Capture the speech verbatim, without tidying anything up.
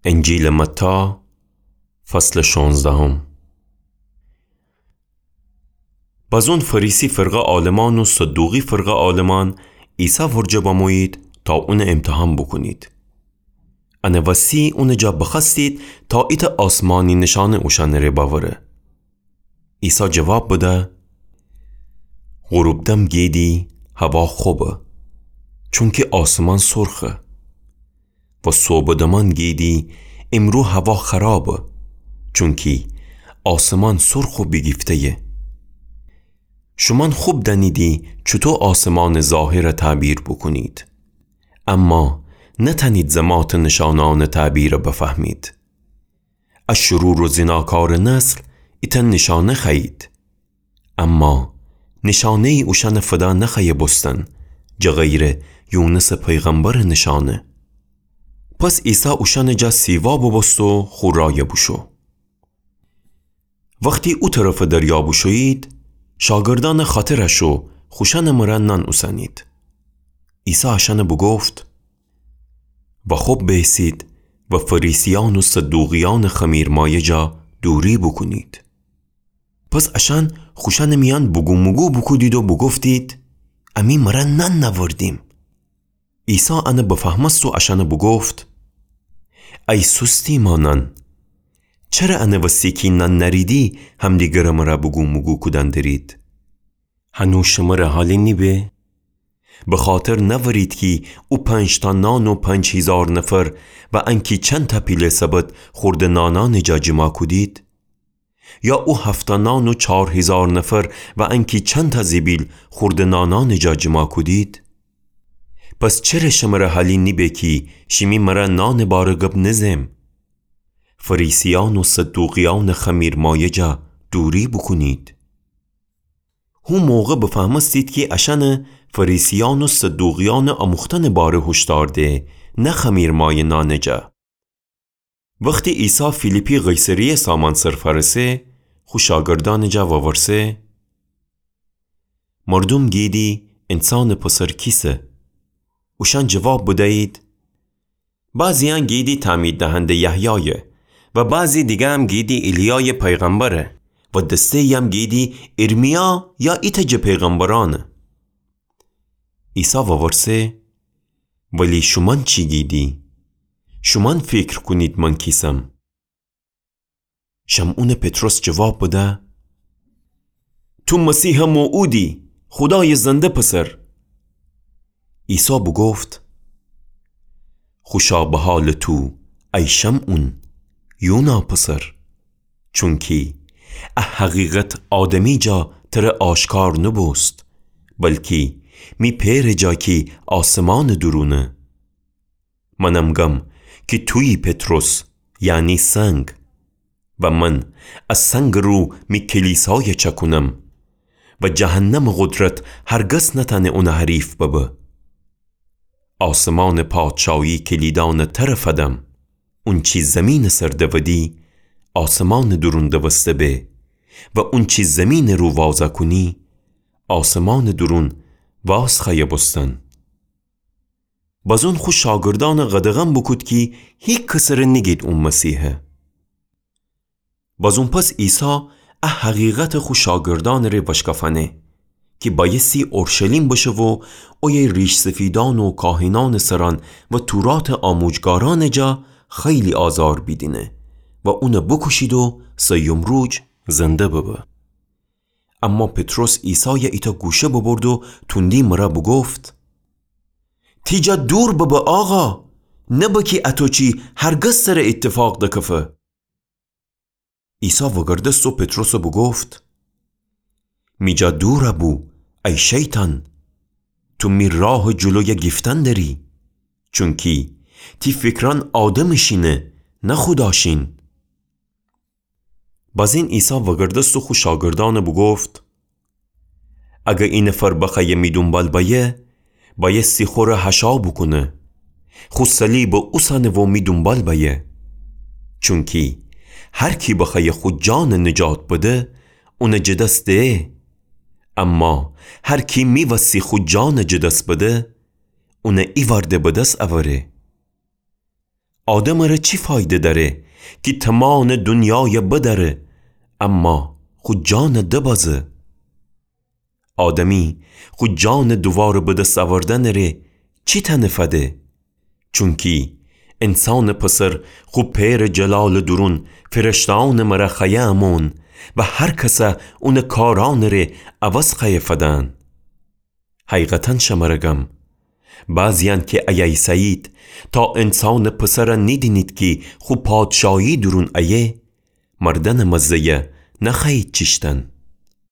انجیلٚ متی، فصلٚ شانزدهم. بازون فریسی فرقه عالمان و صدوقی فرقه عالمان عیسی ورجه بمویید تا اونٚ امتحان بوکونید. انٚ وسی اونٚ جا بخوأستید تا ایتأ آسمانی نشانه اوشأنٚ ره بأوره. عیسی جواب بده: غروب دم گیدی هوا خوبه، چونکی آسمان سرخه. و صوبٚ دمان گیدی امرو هوا خرابه، چونکی آسمان سرخ و بیگیفته‌یه. شومأن خوب دأنیدی چوطو آسمانٚ ظاهر تعبیر بوکونید، اما نتأنید زماتٚ نشانأنٚ تعبیر بفهمید. ا شرور و زناکارٚ نسل ایتأ نشانه خوأیید. اما نشانه‌یی اوشأنٚ فدا نخوأیه بوستن، جٚه غیرٚ یونسٚ پیغمبرٚ نشانه. پس عیسی اوشأنٚ جا سیوا بوبوست و خو رأی بوشو. وختی او طرفٚ دریا بوشویید، شاگردأنٚ خاطر شو خوشأنٚ مرأ نان اوسنید. عیسی اشأنٚ بوگفت: و خوب بیسید و فریسیأن و صدوقیأنٚ خمیرمایه جا دوری بوکونید. پس اشأن خوشأنٚ میأن بوگوموگو بوکودید و بوگفتید: امی مرأ نان نأوردیم. عیسی انٚ بفهمست و اشأنٚ بوگفت: ای سوست ایمأنأن، چره انٚ وسی کی نان نأریدی همدیگرٚ مرأ بوگوموگو کودن درید؟ هنو شمرٚ حالی نیبه؟ بخاطر نأورید کی او پنج‌تا نان و پنج هیزار نفر و انکی چندتأ پیله سبد خوردٚ نانأنٚ جا جیما کودید؟ یا او هفت‌تا نان و چار هیزار نفر و انکی چندتأ زیبیل خوردٚ نانأنٚ جا جیما کودید؟ پس چره شمرٚ حالی نیبه کی شیمی مرأ نانٚ باره گب نزم؟ فریسیأن و صدوقیأنٚ خمیرمایه جا دوری بوکونید. هو موقع بفهمستید کی اشأنٚ فریسیأن و صدوقیأنٚ آموختنٚ باره هوشدار ده، نه خمیرمایه نانٚ جا. وختی عیسی فیلیپی قیصریه سامأن سر فأرسه، خو شاگردأنٚ جا وورسه: مردوم گیدی انسانٚ پسر کیسه؟ اوشأن جواب بدیید: بعضیأن گیدی تعمید دهنده یحیایه و بعضی دیگرم گیدی ایلیایٚ پیغمبره و دسته‌یی‌یم گیدی ارمیا یا ایتأ جٚه پیغمبرأنه. عیسی وورسه: ولی شومأن چی گیدی؟ شومأن فیکر کونید من کیسم؟ شمعونٚ پطرس جواب بده: تو مسیحٚ موعودی، خودایٚ زنده پسر. عیسی بوگفت: خوشا به حالٚ تو، ای شمعون، یونا پسر، چونکی ا حقیقت آدمی جا تره آشکار نوبوست، بلکی می پئرٚ جا کی آسمانٚ دورونه. منم گم کی تویی پطرس، یعنی سنگ، و من ا سنگٚ رو می کلیسای چأکونم و جهنمٚ قدرت هرگز نتأنه اونٚ حریف ببه. آسمانٚ پادشایی کلیدأنٚ تره فدم. اونچی زیمینٚ سر دودی، آسمانٚ دورون دوسته به، و اونچی زیمینٚ رو وازأ کونی، آسمانٚ دورون واز خوأیه بوستن. بازون خو شاگردأنٚ قدغن بوکود کی هیکسٚ ره نیگید اون مسیحه. بازون پس عیسی ا حقیقتٚ خو شاگردأنٚ ره وشکفأنه کی بأیستی اورشلیم بشه و اویه ریش‌سفیدأن و کاهنأنٚ سرأن و توراتٚ آموجگارأنٚ جا خیلی آزار بیدینه و اونٚ بوکوشید و سیوم روج زنده ببه. اما پطرس عیسای ایتأ گوشه ببرد و توندی مرأ بوگفت: تی جا دور ببه آقا، نبه کی اطو چی هرگز تره ایتفاق دکفه. عیسی وگردست و پطرس بوگفت: می جا دور بو، ای شیطان، تو می راهٚ جلوی گیفتن دری، چونکی تی فکرأن آدمٚ شینه، نه خودا شین. بازین عیسی وگردست و خو شاگردأن بوگفت: اگر ای نفر بخوأیه می دونبال بأیه، بأیستی خوره حشا بوکونه، خو صلیب اوسنه و می دونبال بأیه. چونکی هر کی بخوأیه خو جان نجات بده، اون جٚه دس ده. اما هر کی می وسی خو جان جٚه دس بده، اون ایوأرده به دس اوره. آدمٚ ره چی فایده دأره کی تومانٚ دونیای بدأره، اما خو جانٚ دبازه؟ آدمی خو جانٚ دوواره به دس اوردنٚ ره چی تأنه فده؟ چونکی انسانٚ پسر خو پئرٚ جلالٚ دورون فرشته‌یأنٚ مره خوأیه امون و هر کس اونٚ کارأنٚ ره عوض خوأیه فدن. حقیقتا شمره گم، بعضی‌یأن کی اییسه‌یید، تا انسانٚ پسر نیدینید کی خو پادشاهی دورون ایه، مردنٚ مزه‌یه نخوأیید چیشتن.